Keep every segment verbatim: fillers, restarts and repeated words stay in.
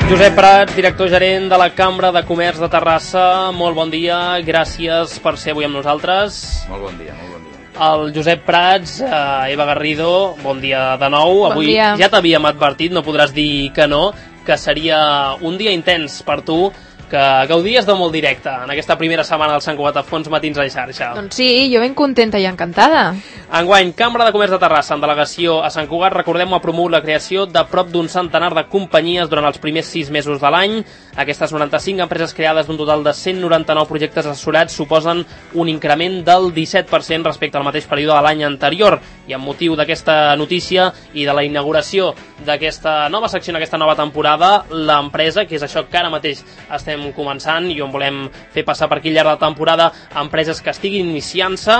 Josep Prats, director gerent de la Cambra de Comerç de Terrassa, molt bon dia, gràcies per ser avui amb nosaltres. Molt bon dia, molt bon dia. El Josep Prats, eh, Eva Garrido, bon dia de nou. Bon Avui dia. Ja t'havíem advertit, no podràs dir que no, que seria un dia intens per tu, que gaudies de molt directe en aquesta primera setmana del Sant Cugat a Fons Matins a xarxa. Doncs sí, jo ben contenta i encantada. Enguany, Cambra de Comerç de Terrassa, en delegació a Sant Cugat, recordem, ha promogut la creació de prop d'un centenar de companyies durant els primers sis mesos de l'any. Aquestes noranta-cinc empreses creades d'un total de cent noranta-nou projectes assessorats suposen un increment del disset per cent respecte al mateix període de l'any anterior. I amb motiu d'aquesta notícia i de la inauguració d'aquesta nova secció, en aquesta nova temporada, l'empresa, que és això que ara mateix estem començant i on volem fer passar per aquí al llarg de la temporada empreses que estiguin iniciant-se.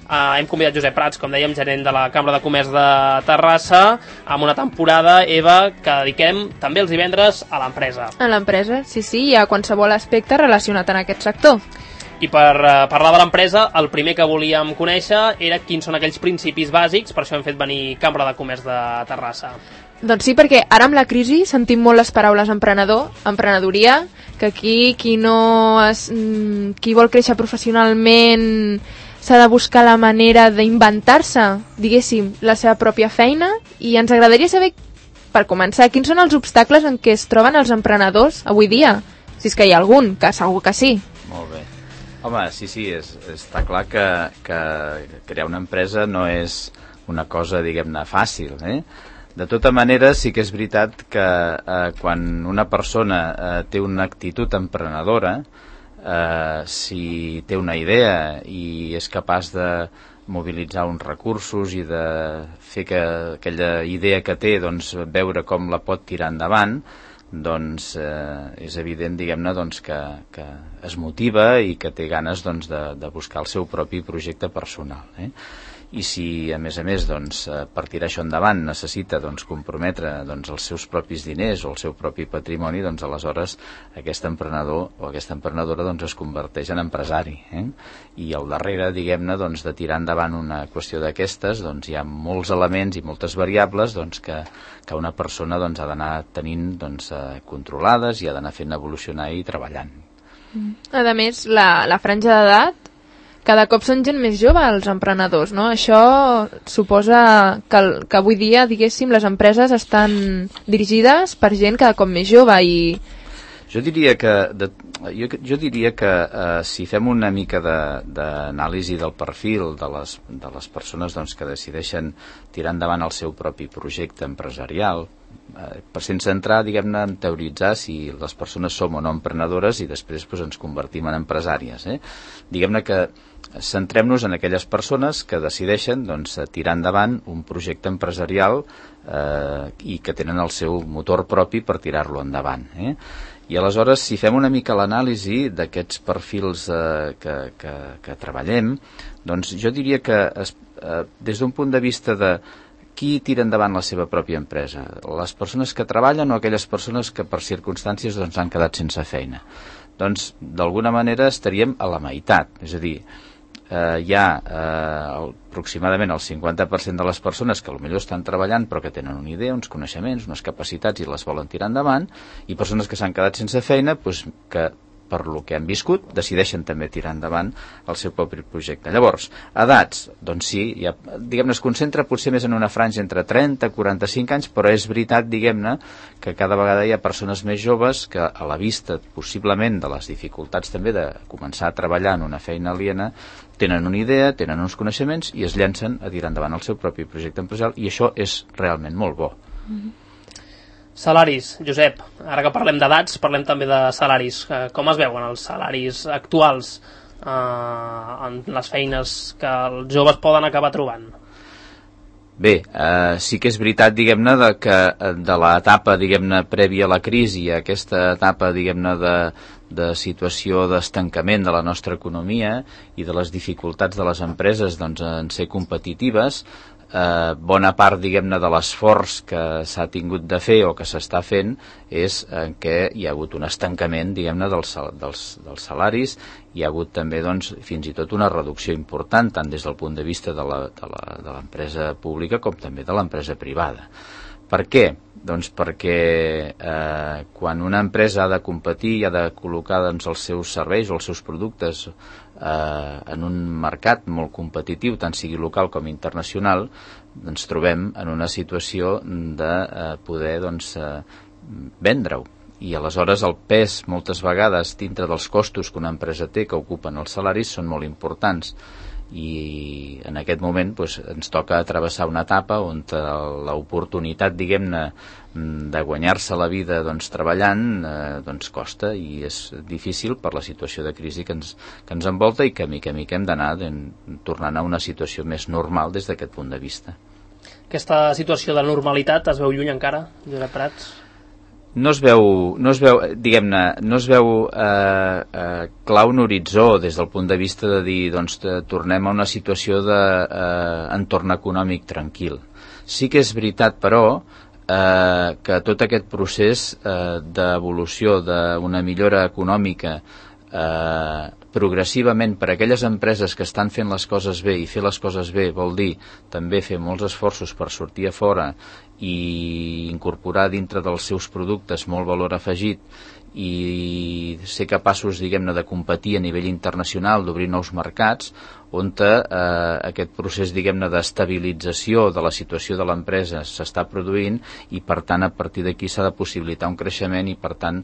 Uh, hem convidat Josep Prats, com dèiem, gerent de la Cambra de Comerç de Terrassa, amb una temporada, Eva, que dediquem també els divendres a l'empresa. A l'empresa, sí, sí, i a qualsevol aspecte relacionat en aquest sector. I per uh, parlar de l'empresa, el primer que volíem conèixer era quins són aquells principis bàsics, per això hem fet venir Cambra de Comerç de Terrassa. Doncs sí, perquè ara amb la crisi sentim molt les paraules emprenedor, emprenedoria, que aquí qui no es, qui vol créixer professionalment s'ha de buscar la manera d'inventar-se, diguéssim, la seva pròpia feina, i ens agradaria saber, per començar, quins són els obstacles en què es troben els emprenedors avui dia, si és que hi ha algun, que segur que sí. Molt bé. Home, sí, sí, és, està clar que, que crear una empresa no és una cosa, diguem-ne, fàcil, eh? De tota manera, sí que és veritat que eh, quan una persona eh, té una actitud emprenedora, eh, si té una idea i és capaç de mobilitzar uns recursos i de fer que aquella idea que té, doncs, veure com la pot tirar endavant, doncs eh, és evident, diguem-ne, doncs, que, que es motiva i que té ganes, doncs, de, de buscar el seu propi projecte personal, eh? I si, a més a més, doncs, per tirar això endavant necessita, doncs, comprometre, doncs, els seus propis diners o el seu propi patrimoni, doncs aleshores aquest emprenedor o aquesta emprenedora, doncs, es converteix en empresari, eh? I al darrere, diguem-ne, doncs, de tirar endavant una qüestió d'aquestes, doncs, hi ha molts elements i moltes variables, doncs, que, que una persona, doncs, ha d'anar tenint, doncs, controlades i ha d'anar fent evolucionar i treballant. A més, la, la franja d'edat cada cop són gent més jove, els emprenedors, no? Això suposa que, que avui dia, diguéssim, les empreses estan dirigides per gent cada cop més jove i... Jo diria que, de, jo, jo diria que eh, si fem una mica d'anàlisi de, del perfil de les, de les persones, doncs, que decideixen tirar endavant el seu propi projecte empresarial, eh, per sense entrar, diguem-ne, en teoritzar si les persones som o no emprenedores i després, doncs, ens convertim en empresàries, eh? Diguem-ne que centrem-nos en aquelles persones que decideixen, doncs, tirar endavant un projecte empresarial eh, i que tenen el seu motor propi per tirar-lo endavant, eh? I aleshores, si fem una mica l'anàlisi d'aquests perfils eh, que, que, que treballem, doncs jo diria que es, eh, des d'un punt de vista de qui tira endavant la seva pròpia empresa, les persones que treballen o aquelles persones que per circumstàncies, doncs, han quedat sense feina, doncs d'alguna manera estaríem a la meitat, és a dir, eh, hi ha eh, aproximadament el cinquanta per cent de les persones que potser estan treballant però que tenen una idea, uns coneixements, unes capacitats i les volen tirar endavant, i persones que s'han quedat sense feina, doncs, que per lo que han viscut, decideixen també tirar endavant el seu propi projecte. Llavors, edats, doncs sí, ja, diguem-ne, es concentra potser més en una franja entre trenta i quaranta-cinc anys, però és veritat, diguem-ne, que cada vegada hi ha persones més joves que, a la vista, possiblement, de les dificultats també de començar a treballar en una feina aliena, tenen una idea, tenen uns coneixements i es llancen a tirar endavant el seu propi projecte empresarial, i això és realment molt bo. Mm-hmm. Salaris, Josep, ara que parlem d'edats, parlem també de salaris. Com es veuen els salaris actuals eh, en les feines que els joves poden acabar trobant? Bé, eh, sí que és veritat, diguem-ne, de que de l'etapa, diguem-ne, prèvia a la crisi, a aquesta etapa, diguem-ne, de, de situació d'estancament de la nostra economia i de les dificultats de les empreses, doncs, en ser competitives, Eh, bona part, diguem-ne, de l'esforç que s'ha tingut de fer o que s'està fent és en què hi ha hagut un estancament, diguem-ne, dels, dels, dels salaris. Hi ha hagut també, doncs, fins i tot una reducció important, tant des del punt de vista de la, de la, de l'empresa pública com també de l'empresa privada. Per què? Doncs perquè eh, quan una empresa ha de competir i ha de col·locar doncs, els seus serveis o els seus productes eh, en un mercat molt competitiu, tant sigui local com internacional, ens trobem en una situació de eh, poder doncs, eh, vendre-ho. I aleshores el pes moltes vegades dintre dels costos que una empresa té que ocupen els salaris són molt importants. I en aquest moment doncs, ens toca travessar una etapa on l'oportunitat, diguem-ne, de guanyar-se la vida doncs, treballant eh, doncs, costa i és difícil per la situació de crisi que ens, que ens envolta i que mica a mica hem d'anar tornant a una situació més normal des d'aquest punt de vista. Aquesta situació de normalitat es veu lluny encara, Josep Prats? No es veu, no es veu, diguem-ne, no es veu eh, eh, clar un horitzó des del punt de vista de dir, doncs, de, tornem a una situació d'entorn eh, econòmic tranquil. Sí que és veritat, però, eh, que tot aquest procés eh, d'evolució d'una millora econòmica eh, progressivament per a aquelles empreses que estan fent les coses bé, i fer les coses bé vol dir també fer molts esforços per sortir a fora i incorporar dintre dels seus productes molt valor afegit i ser capaços, diguem-ne, de competir a nivell internacional, d'obrir nous mercats, on eh, aquest procés, diguem-ne, d'estabilització de la situació de l'empresa s'està produint i, per tant, a partir d'aquí s'ha de possibilitar un creixement i, per tant,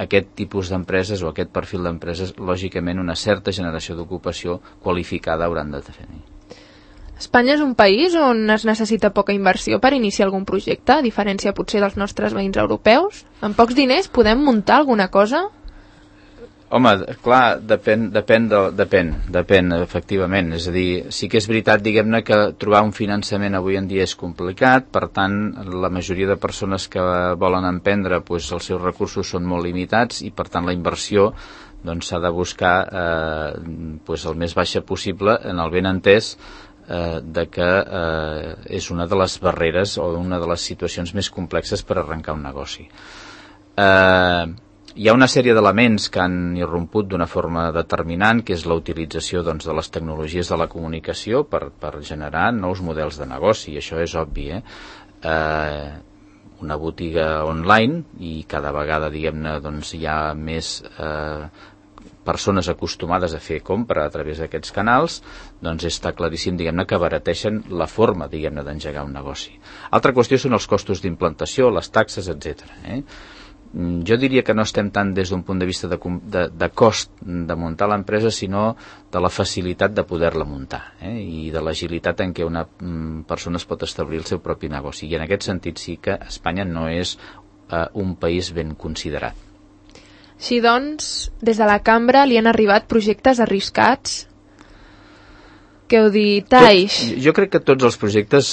aquest tipus d'empreses o aquest perfil d'empreses, lògicament, una certa generació d'ocupació qualificada hauran de tenir. Espanya és un país on es necessita poca inversió per iniciar algun projecte, a diferència potser dels nostres veïns europeus. Amb pocs diners podem muntar alguna cosa? Home, clar, depèn, depèn, de, depèn, depèn, efectivament. És a dir, sí que és veritat, diguem-ne, que trobar un finançament avui en dia és complicat, per tant, la majoria de persones que volen emprendre, doncs, els seus recursos són molt limitats i, per tant, la inversió doncs, s'ha de buscar eh, doncs, el més baixa possible, en el ben entès eh, de que eh, és una de les barreres o una de les situacions més complexes per arrencar un negoci. Eh, hi ha una sèrie d'elements que han irromput d'una forma determinant, que és la utilització doncs, de les tecnologies de la comunicació per, per generar nous models de negoci, i això és obvi, eh? Eh, una botiga online, i cada vegada, diguem-ne, doncs, hi ha més eh, persones acostumades a fer compra a través d'aquests canals, doncs està claríssim, diguem-ne, que abarateixen la forma, diguem-ne, d'engegar un negoci. Altra qüestió són els costos d'implantació, les taxes, etcètera. Eh? Jo diria que no estem tant des d'un punt de vista de, de, de cost de muntar l'empresa, sinó de la facilitat de poder-la muntar, eh? I de l'agilitat en què una mm, persona es pot establir el seu propi negoci. I en aquest sentit sí que Espanya no és eh, un país ben considerat. Així doncs, des de la cambra li han arribat projectes arriscats? Què heu dit, Taix? Tot, jo crec que tots els projectes,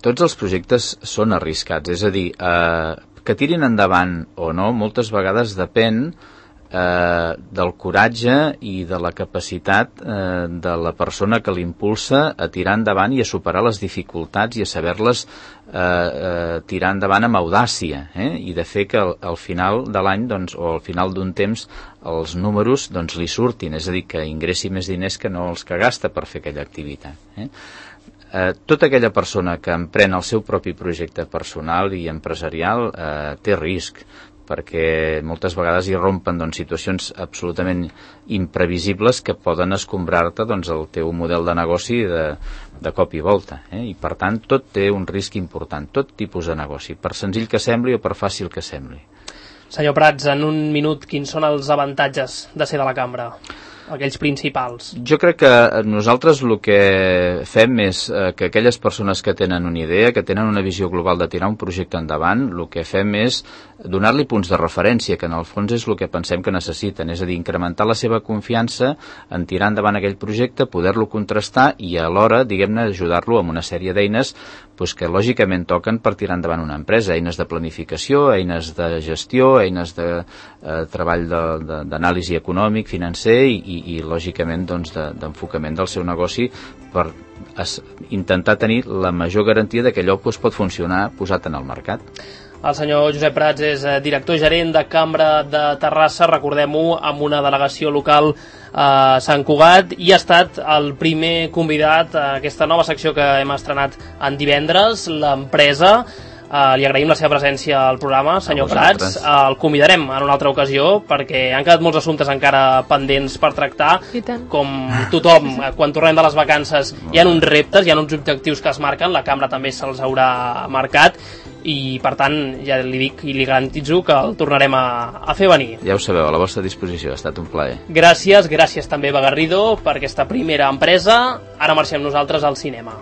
tots els projectes són arriscats, és a dir, eh, que tirin endavant o no, moltes vegades depèn eh, del coratge i de la capacitat eh, de la persona que l'impulsa a tirar endavant i a superar les dificultats i a saber-les eh, eh, tirar endavant amb audàcia, eh? I de fer que al, al final de l'any doncs, o al final d'un temps els números doncs, li surtin, és a dir, que ingressi més diners que no els que gasta per fer aquella activitat. Eh? Eh, tota aquella persona que emprèn el seu propi projecte personal i empresarial eh, té risc, perquè moltes vegades hi rompen doncs, situacions absolutament imprevisibles que poden escombrar-te doncs, el teu model de negoci de, de cop i volta. Eh? I per tant tot té un risc important, tot tipus de negoci, per senzill que sembli o per fàcil que sembli. Senyor Prats, en un minut, quins són els avantatges de ser de la cambra? Aquells principals. Jo crec que nosaltres el que fem és eh, que aquelles persones que tenen una idea, que tenen una visió global de tirar un projecte endavant, el que fem és donar-li punts de referència, que en el fons és el que pensem que necessiten, és a dir, incrementar la seva confiança en tirar endavant aquell projecte, poder-lo contrastar i alhora, diguem-ne, ajudar-lo amb una sèrie d'eines pues, que lògicament toquen per tirar endavant una empresa, eines de planificació, eines de gestió, eines de eh, treball d'anàlisi econòmic, financer i, i, i lògicament doncs, de, d'enfocament del seu negoci per es, intentar tenir la major garantia de que allò pues, pot funcionar posat en el mercat. El senyor Josep Prats és director gerent de Cambra de Terrassa, recordem-ho, amb una delegació local a Sant Cugat, i ha estat el primer convidat a aquesta nova secció que hem estrenat en divendres, l'empresa. Uh, li agraïm la seva presència al programa, senyor Prats. Uh, el convidarem en una altra ocasió perquè han quedat molts assumptes encara pendents per tractar. Com tothom, quan tornem de les vacances hi ha uns reptes, hi ha uns objectius que es marquen, la cambra també se'ls haurà marcat i per tant ja li dic i li garantitzo que el tornarem a, a fer venir. Ja ho sabeu, a la vostra disposició, ha estat un plaer. Gràcies, gràcies també Begarrido per aquesta primera empresa. Ara marxem nosaltres al cinema.